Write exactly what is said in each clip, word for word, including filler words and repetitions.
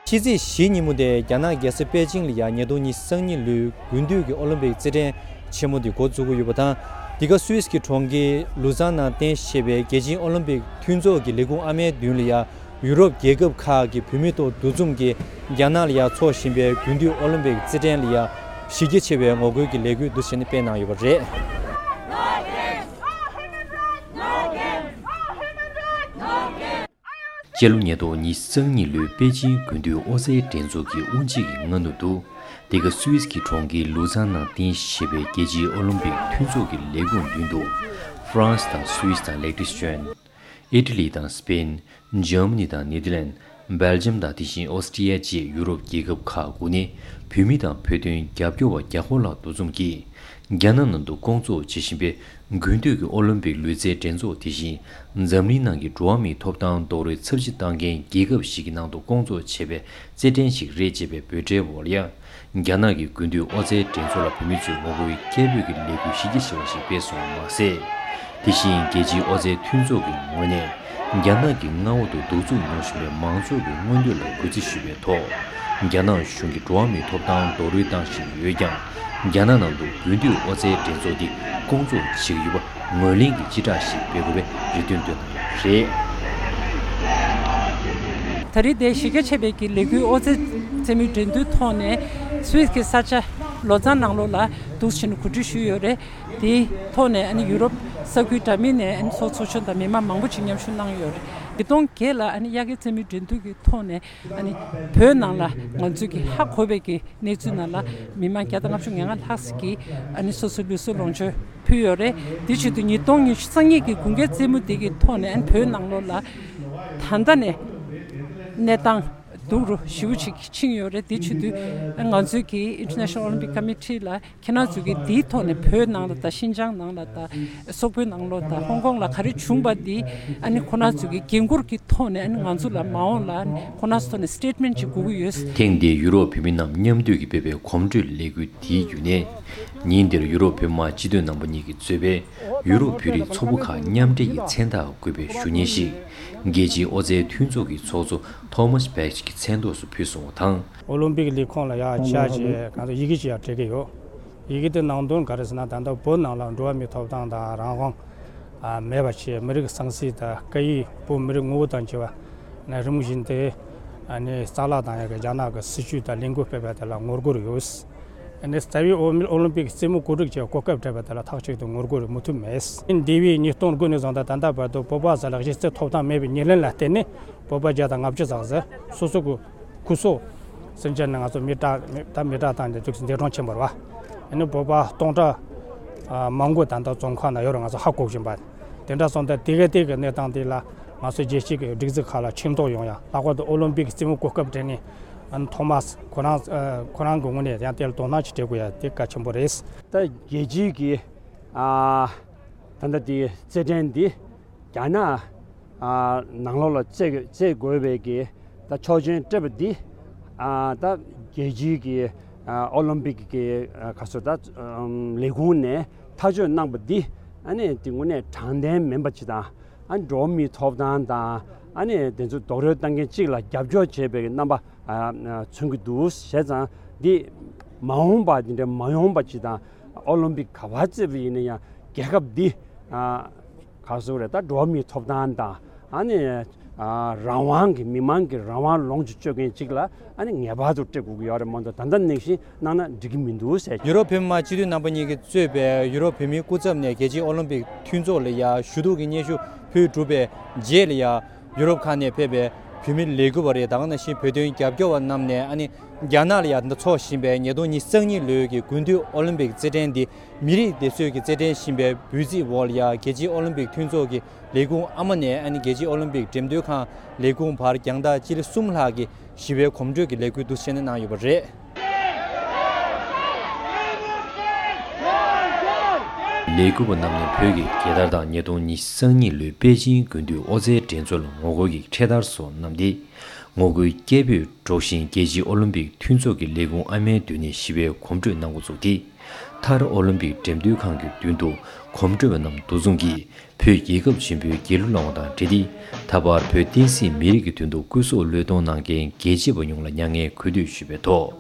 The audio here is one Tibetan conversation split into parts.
ཕྱི་ཚེས་བཞི་ཉིན་མོ་དེ་རྒྱ་ནག་རྒྱལ་ས་པེ་ཅིང་ལ་ཡ་ཉིས་སྟོང་ཉི་ཤུ་རྩ་གཉིས་ལོའི་དགུན་དུས་ཀྱི་ཨོ་ལིམ་པིག་རྩེད་འགྲན་ཆེན་མོ་དེ་འགོ་འཛུགས་ཀྱི་ཡོད་པ་དང་། འདི་ག་སུད་སི་གི་གྲོང་ཁྱེར་ལུ་ཛན་ནང་རྟེན་གཞི་བྱས་པའི་རྒྱལ་སྤྱིའི་ཨོ་ལིམ་པིག་མཐུན་ཚོགས་ཀྱི་ལས་ཁུངས་ཨ་མའི་མདུན་ལ་ཡ། ཡུ་རོབ་རྒྱལ་ཁབ་ཁག་གི་བུད་མེད་ཐོག་འདུ་འཛོམས་ཀྱིས་རྒྱ་ནག་ལ་ཡ་འཚོགས་བཞིན་པའི་དགུན་དུས་ཨོ་ལིམ་པིག་རྩེད་འགྲན་ལ་ཡ་གཞི་རྒྱ་ཆེ་བའི་ངོ་རྒོལ་གྱི་ལས་འགུལ་འདུ་བྱས་ནས་སྤེལ་གནང་ཡོད་པ་རེད། སྤྱི་ལོ་ཉིས་སྟོང་ཉི་ཤུ་རྩ་གཉིས་ལོའི་པེ་ཅིང་དགུན་དུས་ཨོ་རྩལ་འགྲན་ཚོགས་ཀྱི་དབུ་འབྱེད་ཀྱི་སྔ་ནུབ་ཏུ། འདི་ག་སུད་སི་གི་གྲོང་ཁྱེར་ལུ་ཛན་ནང་རྟེན་གཞི་བྱས་པའི་རྒྱལ་སྤྱིའི་ཨོ་ལིམ་པིག་མཐུན་ཚོགས་ཀྱི་ལས་ཁུངས་མདུན་དུ། ཧྥ་རན་སི་དང་སུད་སི་དང་ལེག་ཏེན་སི་ཊན། ཨི་ཊ་ལི་དང་སི་པེན། འཇར་མ་ནི་དང་ནེ་དར་ལན། སྦེལ་ཇམ་དང་དེ་བཞིན་ཨོ་སི་ཀྲི་ཡ་བཅས་ཡུ་རོབ་རྒྱལ་ཁབ་ཁག་དགུ་ནས་བུད་མེད་དང་བོད་དོན་རྒྱབ་སྐྱོར་བ་བརྒྱ་སྐོར་ལྷག་འདུ་འཛོམས་ཀྱིས། རྒྱ་ནག་ནང་དུ་སྐོང་ཚོགས་བྱེད་བཞིན་པའི་དགུན་དུས་ཀྱི་ཨོ་ལིམ་པིག་ལུས་རྩལ་འགྲན་ཚོགས་དེ་བཞིན་འཛམ་གླིང་ནང་གི་འགྲོ་བ་མིའི་ཐོབ་ཐང་རྡོག་རོལ་ཚབས་ཆེ་བཏང་མཁན་རྒྱལ་ཁབ་ཞིག་གི་ནང་དུ་སྐོང་ཚོགས་བྱས་པའི་རྩེད་འགྲན་ཞིག་རེད་ཅེས་པའི་འབོད་སྒྲའི་འོག་ལ་ཡང་། རྒྱ་ནག་གི་དགུན་དུས་ཨོ་རྩལ་འགྲན་ཚོགས་ལ་བོད་མི་ཚོས་ངོ་རྒོལ་སྐད་འབོད་ཀྱི་ལས་འགུལ་གཞི་རྒྱ་ཆེ་བ་ཞིག་སྤེལ་སོང་བ་མ་ཟད། དེ་བཞིན་རྒྱལ་སྤྱིའི་ཨོ་རྩལ་མཐུན་ཚོགས་ཀྱི་ངོས་ནས་རྒྱ་ནག་གི་མངའ་འོག་ཏུ་གདུག་རྩུབ་མྱོང་བཞིན་པའི་མང་ཚོགས་ཀྱི་མངོན་འདོད་ལ་གུས་བརྩི་ཞུ་བའི་ཐོག་རྒྱ་ནག་གཞུང་གིས་འགྲོ་བ་མིའི་ཐོབ་ཐང་རྡོག་རོལ་བཏང་བཞིན་ཡོད་ཀྱང་། རྒྱ་ནག་ནང་དུ་དགུན་དུས་ཨོ་རྩལ་འགྲན་ཚོགས་འདི་སྐོང་ཚོགས་བྱེད་ཀྱི་ཡོད་པ། ངོས་ལེན་གྱི་སྤྱི་བསྒྲགས་ཤིག་སྤེལ་དགོས་པའི་རེ་འདུན་བཏོན་གནང་ཡོད་པ་རེད། ད་རེས་དེ་གཞི་རྒྱ་ཆེ་བའི་གི་ལས་འགུལ་ཨོ་རྩལ་རྩེད་མོའི་འགྲན་བསྡུར་ཐོག་ནས་སུད་སི་གི་ས་ཆ་ལོ་ཙཱན་ནང་ལོགས་ལ་འདུག་ཕྱིན་གོ་སྒྲིག་ཞུས་ཡོད་རེད། དེའི་ཐོག་ནས་ཨ་ནི་ཡུ་རོབ་ས་ཁུལ་འདྲ་མིན་ནས་ཨ་ནི་ཚོགས་ཚོགས་ཆུང་དང་མི་མང་མང་པོ་ཅིག་མཉམ་ཞུགས་གནང་ཡོད་རེད། ཉིས་སྟོང་བརྒྱད་ལ་ཨ་ནི་དབྱར་ཁའི་རྩེད་མོའི་འགྲན་བསྡུར་གྱི་ཐོག་ནས། ཨ་ནི་བོད་ནང་ལ་ང་ཚོས་ཀྱི་ཧ་གོ་བའི་གི་གནས་ཚུལ་ནང་ལ་མི་མང་བརྒྱ་དང་ལྔ་བཅུ་ང་ལྔ་ལྷག་ཅིག་གིས་ཨ་ནི་སོ་སོའི་ལུས་སྲོག་ལོངས་སྤྱོད་ཕུལ་ཡོད་རེད། དེ་བྱེད་དུས་ཉིས་སྟོང་ཉི་ཤུ་རྩ་གཉིས་ཀྱི་དགུན་ཁའི་རྩེད་མོ་དེ་གི་ཐོག་ནས་ཨ་ནི་བོད་ནང་ལོགས་ལ་ད་ལྟ་ནས་གནས་སྟངས་སྡུག་རུ་ཞེ་པོ་ཅིག་ཕྱིན་ཡོད་རེད། དེ་བྱེད་དུས་ང་ཚོས་ཀྱི་International Olympic Committee་ལ། ཁྱེད་རང་ཚོས་ཀྱིས་འདིའི་ཐོག་ནས་བོད་ནང་ལ་དང་ཤིན་ཅང་ནང་ལ་དང་སོག་པོའི་ནང་ལོགས་དང་ཧོང་ཀོང་ལ་ག་རེ་བྱུང་པ་འདི་ཨ་ནི་ཁོ་རང་ཚོས་ཀྱིས་འགན་འཁུར་གྱི་ཐོག་ནས་ཨ་ནི་ང་ཚོ་ལ་མ་འོངས་ལ་ཨ་ནི་ཁོ་རང་ཚོ་ཐོག་ནས་སི་ཊེཊ་མེན་ཊི་ཅིག་དགོས་ཀྱི་ཡོད། ཐེངས་འདིའི་ཡུ་རོབ་བོད་མི་རྣམས་མཉམ་འདུས་ཀྱིས་སྤེལ་བའི་གོམ་བགྲོད་ལས་འགུལ་འདིའི་བརྒྱུད་ནས། ཉིན་འདིར་ཡུ་རོབ་བོད་མི་མང་སྤྱི་འཐུས་རྣམ་པ་གཉིས་ཀྱིས་གཙོས་པའི་ཡུ་རོབ་བོད་རིགས་ཚོགས་པ་ཁག་མཉམ་འབྲེལ་གྱི་མཚན་རྟགས་བཀོད་པའི་ཞུ་སྙན་ཞིག་རྒྱལ་སྤྱིའི་ཨོ་རྩལ་མཐུན་ཚོགས་ཀྱི་ཚོགས་གཙོ་ཐོ་མཱས་བྷེག་གི་མཚན་ཐོག་སུ་ཕུལ་སོང་བ་དང་། ཨོ་ལིམ་པིག་ལས་ཁུངས་ལ་ཡང་བཅར་བྱས་ང་ཚོ་ཡི་གེ་ཅིག་ཡང་སྤྲད་ཀྱི་ཡོད། ཡི་གེ་དེ་ནང་དོན་ག་རེ་ཟེར་ན། ད་ལྟ་བོད་ནང་ལ་འགྲོ་བ་མིའི་ཐོབ་ཐང་དང་རང་དབང་ཨ་མེད་པ་བྱས། མི་རིགས་ཟང་ཟིང་དང་སྐད་ཡིག་བོད་མི་རིགས་ངོ་བོ་དང་བཅས་པ་ནས་རིམ་བཞིན་དེ་ཨ་ནི་རྩ་བརླག་བཏང་ཡག་གི་རྒྱ་ནག་གི་སྲིད་བྱུས་དང་ལས་འགུལ་སྤེལ་བ་དེ་ལ་ངོ་རྒོལ་ཡོད། ཨ་ནི་རྩ་བའི་ཨོ་ཨོ་ལིམ་པིག་རྩེད་མོ་གོ་སྒྲིག་བྱས་གོ་སྐབས་སྤྲད་པ་དེ་ལ་ཐག་གཅོད་དུ་ངོ་རྒོལ་མུ་མཐུད་མེད། འདས་པའི་ཉིས་སྟོང་དགུ་ནས་བཟུང་སྟེ་ད་ལྟ་བར་དུ་བོད་པ་ཟེར་ལ་གཞི་རྩའི་ཐོབ་ཐང་མེད་པའི་ཉེར་ལེན་ལ་བརྟེན་ནས་བོད་པ་བརྒྱ་དང་ལྔ་བཅུ་ཙམ་ཟེར་སོ་སོ་གི་ཁུ་སོ་སེམས་ཅན་ནི་ང་ཚོ་མི་དྲག་མི་ད་མི་དྲག་དང་འདི་ཚོ་འདས་གྲོངས་ཕྱིན་པ་རེད་བ། ཨ་ནི་བོད་པ་སྟོང་ཕྲག་ཨ་མང་པོ་ད་ལྟ་བཙོན་ཁང་ནང་ཡོད་རེད། ང་ཚོ་ཧ་གོ་བཞིན་པ། དེ་འདྲ་སོང་སྟེ་དེ་ག་དེ་གི་གནས་སྟངས་དེ་ལ་ང་ཚོ་རྒྱལ་སྤྱི་གི་སྒྲིག་འཛུགས་ཁག་ལ་ཆེ་མཐོང་ཡོང་ཡ། ལྷག་པར་དུ་ཨོ་ལིམ་པིག་རྩེད་མོ་གོ་སྐབས་སྤྲད་ནས་ཨ་ནི་ཐོ་མཱས་ཁོ་རང་ཨ་ཁོ་རང་གི་ངོས་ནས་ཡང་དེ་ལ་དོ་སྣང་ཅིག་སྤྲད་དགོས་ཡ་དེ་གལ་ཆེན་པོ་རེད། ད་རྒྱལ་སྤྱིའི་གི་ཨ་ད་ལྟ་དེ་རྩེད་འགྲན་འདི་རྒྱ་ནག་ཨ་ནང་ལོགས་ལ་རྩེད་རྩེད་དགོས་པའི་གི་ད་ཆོག་མཆན་སྤྲད་པ་འདི་ཨ་ད་རྒྱལ་སྤྱིའི་གི་ཨ་ཨོ་ལིམ་པིག་གི་ཨ་ག་ཚོད་ད་ཨམ་ལས་ཁུངས་ནས་ཐག་གཅོད་གནང་པ་འདི་ཨ་ནི་དེ་དངོས་གནས་དྲང་བདེན་མིན་པ་ཅིག་དང་། ཨ་ནི་འགྲོ་བ་མིའི་ཐོབ་ཐང་དང་ཨ་ནི་དེ་ཚོ་རྡོག་རོལ་བཏང་མཁན་གཅིག་ལ་རྒྱབ་སྐྱོར་བྱེད་པའི་རྣམ་པ་ཨ་མཚོན་གྱི་འདུག། བྱས་ཙང་འདི་མ་འོངས་པ་འདི་འདྲ་མ་ཡོང་པ་ཅིག་དང་། ཨོ་ལིམ་པིག་ག་པར་རྩེད་པ་ཡིན་ན་ཡང་རྒྱལ་ཁབ་འདི་ཨ་ག་ཟེར་རེད། ད་འགྲོ་བ་མིའི་ཐོབ་ཐང་དང་ཨ་ནི་ཨ་རང་དབང་གི་མི་མང་གི་རང་དབང་ལོངས་སུ་སྤྱོད་མཁན་ཅིག་ལ་ཨ་ནི་ངེས་པར་དུ་སྤྲད་དགོས་ཀྱི་ཡོད་རེད་མ་གཏོགས་ད་ལྟ་ནང་བཞིན་གནང་ན་འགྲིག་གི་མི་འདུག་ཟེར། ཡུ་རོབ་བོད་མི་མང་སྤྱི་འཐུས་རྣམ་པ་གཉིས་ཀྱིས་གཙོས་པའི་ཡུ་རོབ་བོད་མིའི་སྐུ་ཚབ་ནས་རྒྱལ་སྤྱིའི་ཨོ་ལིམ་པིག་མཐུན་ཚོགས་ལ་ཡ་ཞུ་གཏུག་གི་སྙན་ཞུ་ཕུལ་གྲུབ་པའི་རྗེས་ལ་ཡ། ཡུ་རོབ་ཁག་ནས་ཕེབས་པའི་བོད་མི་ལས་འགུལ་བ་རེད། ད་ག་ནང་བཞིན་བོད་དོན་རྒྱབ་སྐྱོར་བ་རྣམས་ནས་ཨ་ནི་རྒྱ་ནག་ལ་ཡ་འཚོགས་བཞིན་པའི་ཉིས་སྟོང་ཉི་ཤུ་རྩ་གཉིས་ལོའི་གི་དགུན་དུས་ཨོ་ལིམ་པིག་རྩེད་འགྲན་འདི་མི་རིགས་སྡེ་ཚོས་ཀྱི་རྩེད་འགྲན་ཞེས་པའི་འབོད་ཚིག་འོག་ལ་ཡ་རྒྱལ་སྤྱིའི་ཨོ་ལིམ་པིག་མཐུན་ཚོགས་ཀྱི་ལས་ཁུངས་ཨ་མ་ནས་ཨ་ནི་རྒྱལ་སྤྱིའི་ཨོ་ལིམ་པིག་འགྲེམས་སྟོན་ཁང་ལས་ཁུངས་བར་རྒྱང་ཐག་སྤྱི་ལེ་གསུམ་ལྷག་གི་ཞི་བའི་གོམ་བགྲོད་ཀྱི་ལས་འགུལ་འདུ་བྱས་ནས་གནང་ཡོད་པ་རེད། ལས་འགུལ་བ་རྣམས་ནས་བོད་ཀྱི་རྒྱལ་དར་དང་ཉིས་སྟོང་ཉི་ཤུ་རྩ་གཉིས་ལོའི་པེ་ཅིང་དགུན་དུས་ཨོ་རྩལ་འགྲན་ཚོགས་ལ་ངོ་རྒོལ་གྱི་འཕྲེད་དར་སོགས་བསྣམས་ཏེ། ངོ་རྒོལ་སྐད་འབོད་སྒྲོག་བཞིན་རྒྱལ་སྤྱིའི་ཨོ་ལིམ་པིག་མཐུན་ཚོགས་ཀྱི་ལས་ཁུངས་ཨ་མའི་མདུན་ནས་ཞི་བའི་གོམ་བགྲོད་གནང་འགོ་བཙུགས་ཏེ། མཐར་ཨོ་ལིམ་པིག་འགྲེམས་སྟོན་ཁང་གི་མདུན་དུ་གོམ་བགྲོད་པ་རྣམས་འདུ་འཛོམས་ཀྱིས་བོད་རྒྱལ་ཁབ་ཆེན་པོའི་རྒྱལ་གླུ་བླངས་པ་དང་འབྲེལ་ཏེ། ད་བར་བོད་བསྟན་སྲིད་མི་རིགས་ཀྱི་དོན་དུ་སྐུ་སྲོག་བློས་གཏོང་གནང་མཁན་རྒྱལ་གཅེས་པ་ཡོངས་ལ་མྱ་ངན་གུས་འདུད་ཞུས་པའི་ཐོག་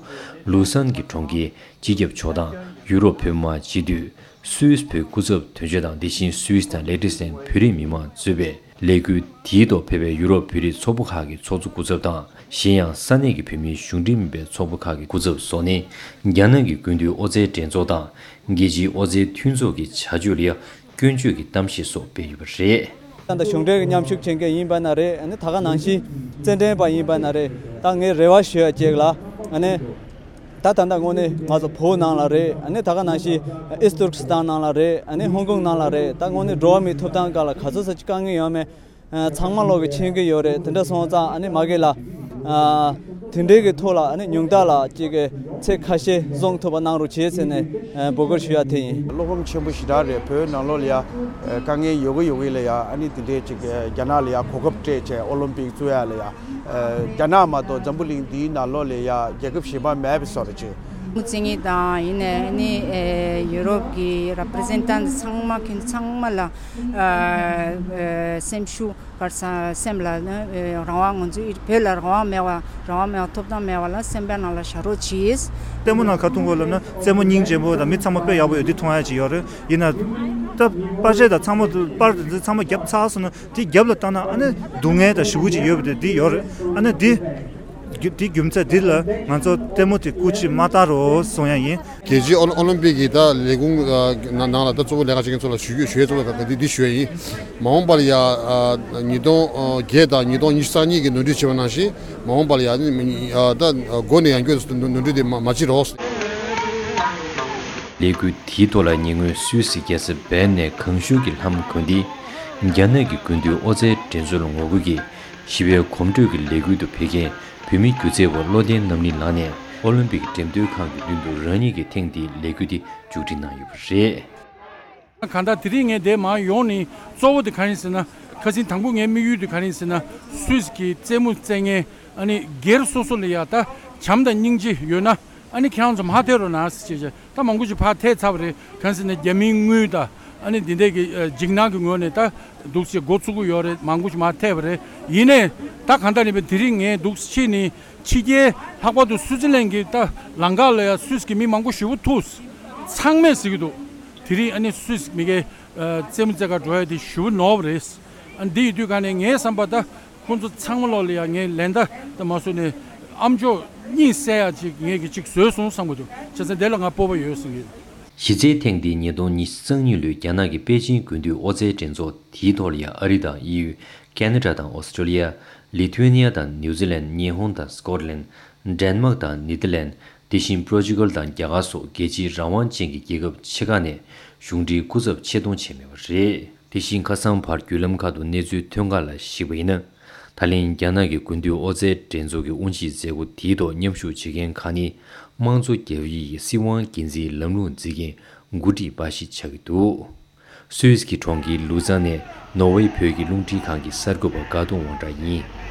ལུ་སན་གྱི་གྲོང་ཁྱེར་སྤྱི་ཁྱབ་ཕྱོགས་སྡོམ་ཡུ་རོབ་བོད་མི་མང་སྤྱི་འཐུས། སུད་སི་བོད་སྐུ་ཚབ་དོན་གཅོད་དང་། དེ་བཞིན་སུད་སི་དང་ལེག་ཏེ་སན་བོད་རིགས་མི་མང་གཙོས་པའི་ལས་འགུལ་དེའི་ཐོག་ཕེབས་པའི་ཡུ་རོབ་བོད་རིགས་ཚོགས་པ་ཁག་གི་ཚོགས་གཙོ་སྐུ་ཚབ་དང་། གཞན་ཡང་ས་གནས་ཀྱི་བོད་མིའི་གཞུང་འབྲེལ་མིན་པའི་ཚོགས་པ་ཁག་གི་སྐུ་ཚབ་སོགས་ནས། རྒྱ་ནག་གི་སྐུ་མདུན་ཨོ་རྩལ་འགྲན་ཚོགས་དང་། རྒྱལ་སྤྱིའི་ཨོ་རྩལ་མཐུན་ཚོགས་ཀྱི་བྱ་སྤྱོད་ལ་ཡང་སྐྱོན་བརྗོད་ཀྱི་གཏམ་བཤད་སོགས་སྤེལ་ཡོད་པ་རེད། ད་ལྟ་གཞུང་འབྲེལ་གྱི་མཉམ་ཞུགས་བྱེད་མཁན་ཡིན་པ་ན་རེད། ཨ་ནི་ད་ག་ནང་བཞིན་རྩེད་འགྲན་པ་ཡིན་པ་ན་རེད། ད་ངས་རེ་བ་ཞུ་ཡ་གཅིག་ལ། ཨ་ནི་ད་ད་ལྟ་དངོས་གནས་ང་ཚོ་བོད་ནང་ལ་རེད། ཨ་ནི་ད་ག་ནང་བཞིན་ཨིས་ཏུར་ཀི་སི་ཐན་ནང་ལ་རེད། ཨ་ནི་ཧོང་ཀོང་ནང་ལ་རེད། ད་དངོས་གནས་འགྲོ་བ་མིའི་ཐོབ་ཐང་སྒང་ལ་ག་ཚོད་ཙམ་ཅིག་དཀའ་ངལ་ཡོད་མེད། ཨ། ཚང་མ་ལོག་གི་མཁྱེན་གྱི་ཡོད་རེད། དེ་འདྲ་སོང་ཙང་ཨ་ནི་མ་གི་ལ། ཨ། དེ་འདྲའི་གི་ཐོག་ལ་ཨ་ནི་ཉུང་མཐའ་ལ་ཅིག་གི་ཚེ་ཁ་ཤས་བཟུང་ཐུབ་པ་གནང་རོགས་བྱེད་ཟེར་ནས། ཨ། འབོད་སྐུལ་ཞུ་ཡ་དེ་ཡིན། བློ་ཕམ་ཆེན་པོ་ཞེ་དྲག་རེད། བོད་ནང་ལོགས་ལ་ཡ། ཨ། དཀའ་ངལ་ཡོད་གི་ཡོད་གི་ལ་ཡ། ཨ་ནི་དེ་འདྲའི་ཅིག་རྒྱ་ནག་ལ་ཡ་གོ་སྐབས་སྤྲད་བྱས་ཨོ་ལིམ་པིག་བཙུགས་ཡ་ལ་ཡ། ཨ། རྒྱ་ནག་མ་གཏོགས་འཛམ་བུ་གླིང་འདིའི་ནང་ལོགས་ལ་ཡ་རྒྱལ་ཁབ་གཞན་པ་མེད་པའི་བཟོ་འདྲ་ཅིག་མུ་ཙི་ངི་དང་ཡིན་ནའི་ཨ་ནི། ཨ། ཡུ་རོབ་ཀྱི་རེ་པི་རི་ཛེན་ཊེན་ཊི་ཚང་མ་མཁན་ཚང་མ་ལ། ཨ། ཨ། སེམས་ཤུགས་བར་ས་སེམས་ལ་ནི། ཨ། རང་དབང་། ང་ཚོའི་བོད་ལ་རང་དབང་མེད་པ། རང་དབང་མེད་པ། ཐོབ་ཐང་མེད་པ་ལ་སེམས་པའི་ནང་ལ་བཞག་རོགས་གྱིས། ལྟད་མོ་ནང་ག་མཐོང་གོ་ལབ་ན་རྩེད་མོ་སྙིང་རྗེ་པོ་དང་མི་ཚང་མ་དཔེ་ཡག་པོ་ཡོད་འདི་མཐོང་ཡ་ཅིག་ཡོད་རེད། ཡིན་ན་ད་པར་ཆས་དང་ཚང་མ་པར་དེ་ཚང་མ་བརྒྱབ་ཚར་སོང་ན། དེ་རྒྱབ་ལ་བལྟ་ན་ཨ་ནི་སྡུག་བསྔལ་དང་ཞེ་པོ་ཅིག་ཡོད་པ་དེ་འདི་ཡོད་རེད། ཨ་ནི་འདི་རྒྱུ་འདི་རྒྱུ་མཚན་འདི་ལ་ང་ཚོ་ལྟད་མོ་དེ་སྐུ་མཁྱེན་མ་ལྟ་རོགས་གསུང་ཡ་ཡིན། རྒྱལ་སྤྱིའི་ཨོ་ཨོ་ལིམ་པིག་གི་ད་ལས་ཁུངས་ཨ་ནང་ལ་ད་གཙོ་བོ་ལས་ཀ་བྱེད་མཁན་ཚོ་ལ་ཞུ་རྒྱུ་ཞུ་ཡ་གཙོ་བོ་ད་འདི་འདི་ཞུ་ཡ་ཡིན། མ་འོངས་པ་ལ་ཡ་ཨ་ཉིས་སྟོང་བརྒྱད་དང་ཉིས་སྟོང་ཉི་ཤུ་རྩ་གཉིས་ཀྱི་ནོར་འཁྲུལ་བྱས་པ་ནང་བཞིན་མ་འོངས་པ་ལ་ཡ་ནི་ཨ་ད་མགོ་ནས་ཡང་བསྐྱར་ནོར་འཁྲུལ་དེ་མ་མ་བྱེད་རོགས། ལས་འགུལ་དེའི་ཐོག་ལ་ཉེ་སྔོན་སུད་སི་རྒྱལ་ས་བེར་ནས་གང་ཤུལ་གྱི་ལྷམ་གོན་ཏེ། རྒྱ་ནག་གི་སྐུ་མདུན་ཨོ་རྩལ་འགྲན་ཚོགས་ལ་ངོ་རྒོལ་གྱིས་ཞི་བའི་གོམ་བགྲོད་ཀྱི་ལས་འགུལ་དུ་ཕེབས་མཁན་བོད་མི་སྒྱུ་རྩལ་བ་བློ་ལྡན་རྣམ་གླིང་ལགས་ནས་ཨོ་ལིམ་པིག་འགྲེམས་སྟོན་ཁང་གི་མདུན་དུ་རང་ཉིད་ཀྱིས་ཐེངས་འདིའི་ལས་འགུལ་འདི་མཇུག་སྒྲིལ་གནང་ཡོད་པ་རེད། གང་ལྟར་དེ་རིང་ངས་འདིར་མར་ཡོང་ནས་གཙོ་བོ་དེ་གང་ཡིན་ཟེར་ན། ཁ་སང་དང་པོ་ངའི་དམིགས་ཡུལ་དེ་གང་ཡིན་ཟེར་ན། སུད་སི་གི་རྩེད་མོ་རྩེད་མཁན་ཨ་ནི་སྒེར་སོ་སོ་ལ་ཡ་ད་བྱམས་དང་སྙིང་རྗེ་ཡོད་ན། ཨ་ནི་ཁྱེད་རང་ཚོ་མར་ཕེབས་རོགས་གནང་ཟེར་བྱས་བྱས། ད་མང་པོ་ཞིག་ཕར་ཐེབས་ཚར་བ་རེད། གང་ཟེར་ན་རྒྱ་མིའི་དངུལ་དང་ཨ་ནི་འདི་འདྲས་ཀྱི་ཨ་འཇིགས་སྣང་གི་ངོས་ནས་ད་འདུག་སེ་འགོ་ཚུགས་ཀྱི་ཡོད་རེད། མང་པོ་ཞིག་མར་ཐེབས་པ་རེད། ཡིན་ནའི་ད་གང་ལྟར་ཡིན་པའི་དེ་རིང་ངས་འདུག་སེ་ཕྱིན་ནས་ཕྱི་རྒྱལ་ལྷག་པར་དུ་སུའུ་ཙི་ལན་གྱི་ད་ལམ་ཁ་ལ་ཡ་སུད་སི་གི་མི་མང་པོ་ཞེ་པོ་ཐུག་ཚང་མས་ཟེར་གྱི་འདུག་དེ་རིང་ཨ་ནི་སུད་སི་མི་སྒེར་ཨ་རྩེད་མོ་རྩེ་གར་འགྲོ་ཡ་དེ་ཞེ་པོ་ནོར་བ་རེད། ཨ་འདི་ཡིན་དུས་ག་ནས་ངའི་བསམ་པ་ད། ཁོང་ཚོ་ཚང་མ་ལོག་ལ་ཡ་ངས་ལན་ད་ད་མ་བཟོས་ནས་ཨ་མཆོག་གཉིད་སད་ཡ་ཅིག་ངས་ཀྱི་ཅིག་བཟོས་སོང་བསམ་གྱི་འདུག་བྱས་ཙང་དེ་ལ་ང་སྤོབས་པ་ཡོད་བསམ་གྱི། གཞི་རྩའི་ཐེངས་འདིའི་ཉིས་སྟོང་ཉི་ཤུ་རྩ་གཉིས་ལོའི་རྒྱ་ནག་གི་པེ་ཅིང་དགུན་དུས་ཨོ་རྩལ་འགྲན་ཚོགས་དེའི་ཐོག་ལ་ཡ་ཨ་རི་དང་ཨི་ཡུ། ཁེ་ན་ཌ་དང་ཨོ་སི་ཀྲོ་ལི་ཡ། ལི་ཐུ་ཝེ་ནི་ཡ་དང་ནིའུ་ཛི་ལན། ཉི་ཧོང་དང་སི་ཀོ་ཊི་ལན། ཌེན་མཱག་དང་ནེ་ཐར་ལན། དེ་བཞིན་པོར་ཅུ་གལ་དང་རྒྱ་གར་སོགས་རྒྱལ་སྤྱིའི་རང་དབང་ཅན་གྱི་རྒྱལ་ཁབ་ཆེ་ཁག་ནས་གཞུང་འབྲེལ་སྐུ་ཚབ་ཆེད་གཏོང་བྱས་མེད་པ་རེད། དེ་བཞིན་ཁ་སང་བར་བརྒྱུད་ལམ་ཁག་ཏུ་གནས་ཚུལ་ཐོན་ཁག་ལ་གཞིགས་པ་ཡིན་ན། ད་ལན་རྒྱ་ནག་གི་དགུན་དུས་ཨོ་རྩལ་འགྲན་ཚོགས་ཀྱི་དབུ་འབྱེད་མཛད་སྒོ་དེའི་ཐོག་མཉམ་ཞུགས་བྱེད་མཁན་ཁག་ནི། དམངས་གཙོ་རྒྱ་ཡིག་གི་སྲིད་དབང་སྒེར་འཛིན་ལམ་ལུགས་འཛིན་མཁན་འགོ་ཁྲིད་པ་ཞིག་ཆགས་ཀྱི་འདུག་སུད་སི་གི་གྲོང་ཁྱེར་ལུ་ཛན་ནས་ནོར་ཝེ་བོད་ཀྱི་རླུང་འཕྲིན་ཁང་གི་གསར་འགོད་པ་དགའ་གདོང་དབང་གྲགས་ཡིན།